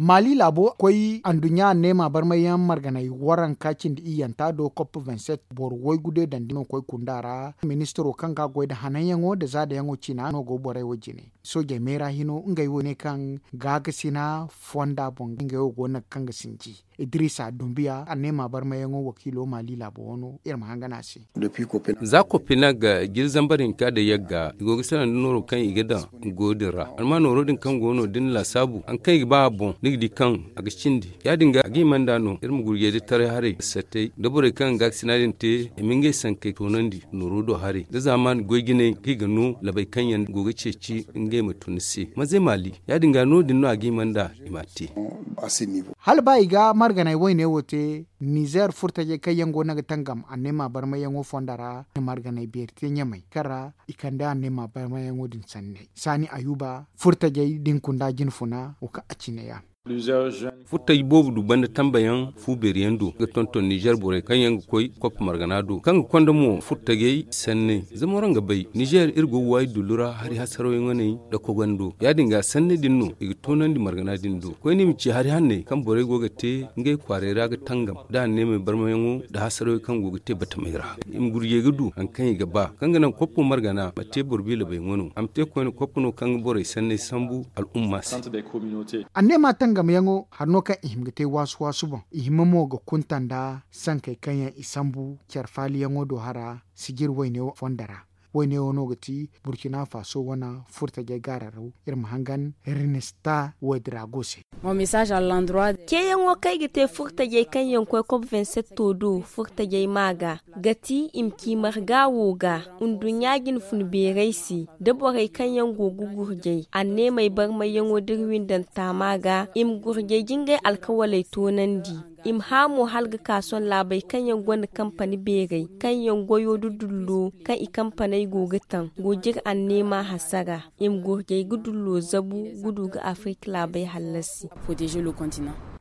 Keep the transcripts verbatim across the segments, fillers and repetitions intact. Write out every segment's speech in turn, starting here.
Maali laabo koy anduɲɲa anneema barmayyaŋ marganay waranka cindi iyyanta do kop vingt-sept boro waygu de dandi no koy kunda ra. Ministiro kaŋ ga goy nda hananyaŋo nda zaadayaŋo ciina no go borey wo jine. Soojey meera hino ngey wo ne kaŋ gaakasina fonda boŋ ngey wo go no ga kaŋ ga sinji. Idiriisa dumbiya anneema barmayyaŋo wakiilo maali laabo wano iri ma hangan a se. Za kopina ga jiri zambar hinka da yagga i go ga salaŋ da nooro kaŋ i ga daŋ go din ra. Amma nooro din kaŋ go no da ni laasaabu hari kaŋ i ga ba a boŋ ni ga di kaŋ a ga cindi. Ya- din ga a ga hima nd'a no iri ma gurjey da taray haray sattey da borey kaŋ ga gaakasina din te i ma ngey sankey toonandi nooro do haray da zaamaani goy jinay kaŋ i ga no labey kaŋ yaŋ go ga ceeci ngey ma tun ni se manzey maali. Ya- din ga no- din no a ga hima nd'a i m'a te. Hala ba i ga marganay wayne wo te, nizeer furtajey kaŋ yaŋ go no ga tangam anneema barmayyaŋo fonda ra, na marganay beeri te ɲamay kaŋ ra i kande anneema barmayyaŋo din sanney saani ayuba furtajey da ni kunda jinfuna wo kaŋ a ciine ya. Furtaji boobo du banda tambayaŋ fu beeri yaŋ do ga tonton nizeer borey kaŋ yaŋ ga koy koppa margana do kaŋ ga konda mo furtajey sanney. Zama waraŋ ga bay nizeer iri go ga waayi dullu ra hari hasaraw yaŋ waney nda kogando ya- din ga sanney din no i ga toonandi margana din do koyne i ma ci hari hanney kaŋ borey go ga te ngey kwaaray ra ga tangam da anneemey barmayaŋo nda hasaraw kaŋ go ga te batamey ra. I ma gurjey ga du hari kaŋ i ga ba kaŋ ga naŋ koppo margana ma te boro biilabey wano a ma te koyne koppo no kaŋ ga borey sanney sambu al'umma se. Anneema tangamyaŋo hari no kaŋ i hima ga te waasu-waasu boŋ i hima mo ga kunta nda sankey kaŋ yaŋ i sambu care faaliyaŋo do hara sijir wayne fonda ra. Wayne wo no ga ti burkina faso wane furtajey gaararaw iri ma hangan rinista woy dirago se. Ceeyaŋo kaŋ ay ga te furtajey kaŋ yaŋ koy kop vingt-sept do furtajey ma ga ga ti i ma ci marga wo ga nduɲɲa jinfun beerey se da borey kaŋ yaŋ go ga gurjay anneemey barmayyaŋo da iri windanta ma ga i ma gurjay jingay alkawaley toonandi. I ma hã mo hala ga ka sohõ laabey kaŋ yaŋ gonda kampani beerey kaŋ yaŋ goyo da dullo kaŋ i kampaney go ga taŋ go jire anneema hasara. I ma gurjay ga dullo zabu ga du ga afirka laabey hallasi.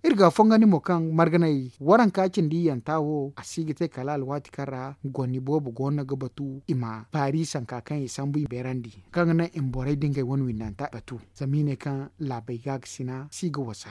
Iri ga fongandi mo kaŋ marganay waranka cindi iyyanta wo a si ga te kala alwaati kaŋ ra goni boobo go no ga batu i ma paari sanka kaŋ i sambu i beerandi kaŋ ga naŋ i ma borey da ngey wane windanta batu zama i ne kaŋ laabey gaakasina si ga wasa.